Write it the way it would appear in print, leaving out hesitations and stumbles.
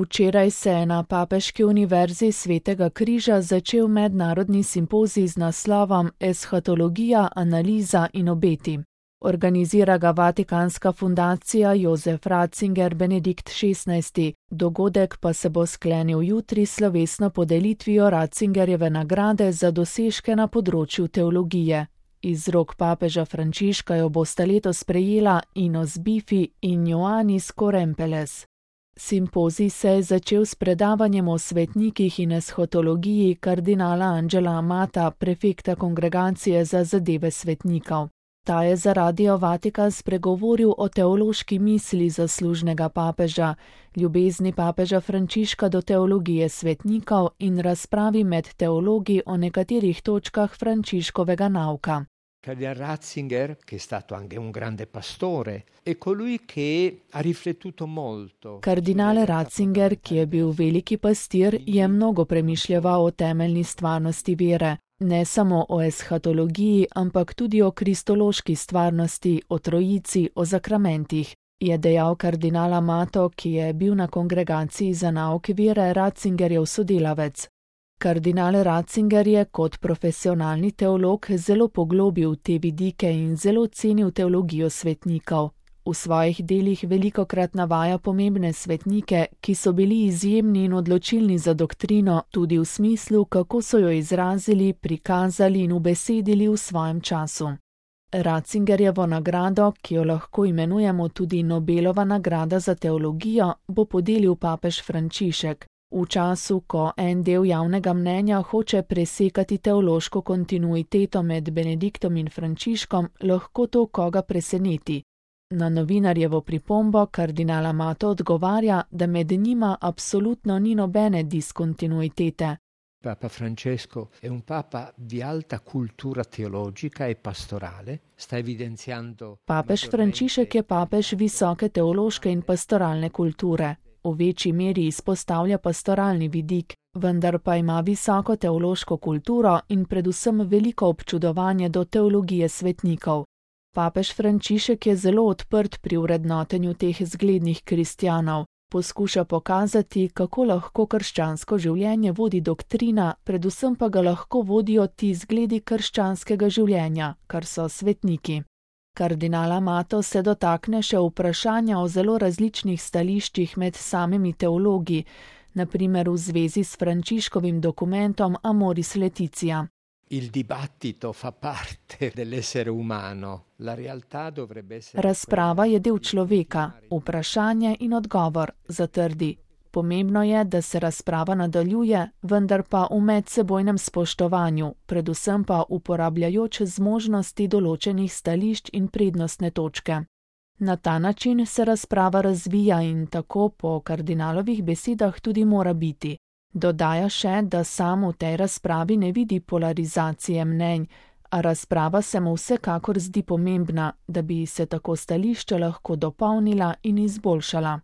Včeraj se je na Papeški univerzi Svetega križa začel mednarodni simpozij z naslovom Eshatologija, analiza in obeti. Organizira ga Vatikanska fundacija Josef Ratzinger Benedikt XVI. Dogodek pa se bo sklenil jutri s slovesno podelitvijo Ratzingerjeve nagrade za dosežke na področju teologije. Iz rok papeža Frančiška jo bosta letos prejela Inos Bifi in Ioannis Korempeles. Simpozij se je začel s predavanjem o svetnikih in eshatologiji kardinala Angela Amata, prefekta Kongregacije za zadeve svetnikov. Ta je za Radio Vatikan spregovoril o teološki misli zaslužnega papeža, ljubezni papeža Frančiška do teologije svetnikov in razpravi med teologi o nekaterih točkah Frančiškovega nauka. Cardinal Ratzinger, che è stato anche un grande pastore, è colui che ha riflettuto molto. Kardinal Ratzinger, ki je bil veliki pastir, je mnogo premišljeval o temeljni stvarnosti vere. Ne samo o eshatologiji, ampak tudi o kristološki stvarnosti, o trojici, o zakramentih, je dejal kardinal Amato, ki je bil na Kongregaciji za nauk vere Ratzingerjev sodelavec. Kardinal Ratzinger je kot profesionalni teolog zelo poglobil te vidike in zelo cenil teologijo svetnikov. V svojih delih velikokrat navaja pomembne svetnike, ki so bili izjemni in odločilni za doktrino, tudi v smislu, kako so jo izrazili, prikazali in ubesedili v svojem času. Ratzingerjevo nagrado, ki jo lahko imenujemo tudi Nobelova nagrada za teologijo, bo podelil papež Frančišek. V času, ko en del javnega mnenja hoče presekati teološko kontinuiteto med Benediktom in Frančiškom, lahko to koga preseneti. Na novinarjevo pripombo kardinal Amato odgovarja, da med njima absolutno ni nobene diskontinuitete. Papa Francesco è un papa di alta cultura teologica e pastorale, sta evidenziando. Papež Frančišek je papež visoke teološke in pastoralne kulture. V večji meri izpostavlja pastoralni vidik, vendar pa ima visoko teološko kulturo in predvsem veliko občudovanje do teologije svetnikov. Papež Frančišek je zelo odprt pri vrednotenju teh zglednih kristjanov, poskuša pokazati, kako lahko krščansko življenje vodi doktrina, predvsem pa ga lahko vodijo ti zgledi krščanskega življenja, kar so svetniki. Kardinal Amato se dotakne še vprašanja o zelo različnih stališčih med samimi teologi, na primer v zvezi s Frančiškovim dokumentom Amoris Laetitia. Il dibattito fa parte dell'essere umano. La realtà dovrebbe essere. Razprava je del človeka, vprašanje in odgovor, zatrdi. Pomembno je, da se razprava nadaljuje, vendar pa v medsebojnem spoštovanju, predvsem pa uporabljajoč zmožnosti določenih stališč in prednostne točke. Na ta način se razprava razvija in tako po kardinalovih besedah tudi mora biti. Dodaja še, da sam v tej razpravi ne vidi polarizacije mnenj, a razprava se mu vsekakor zdi pomembna, da bi se tako stališča lahko dopolnila in izboljšala.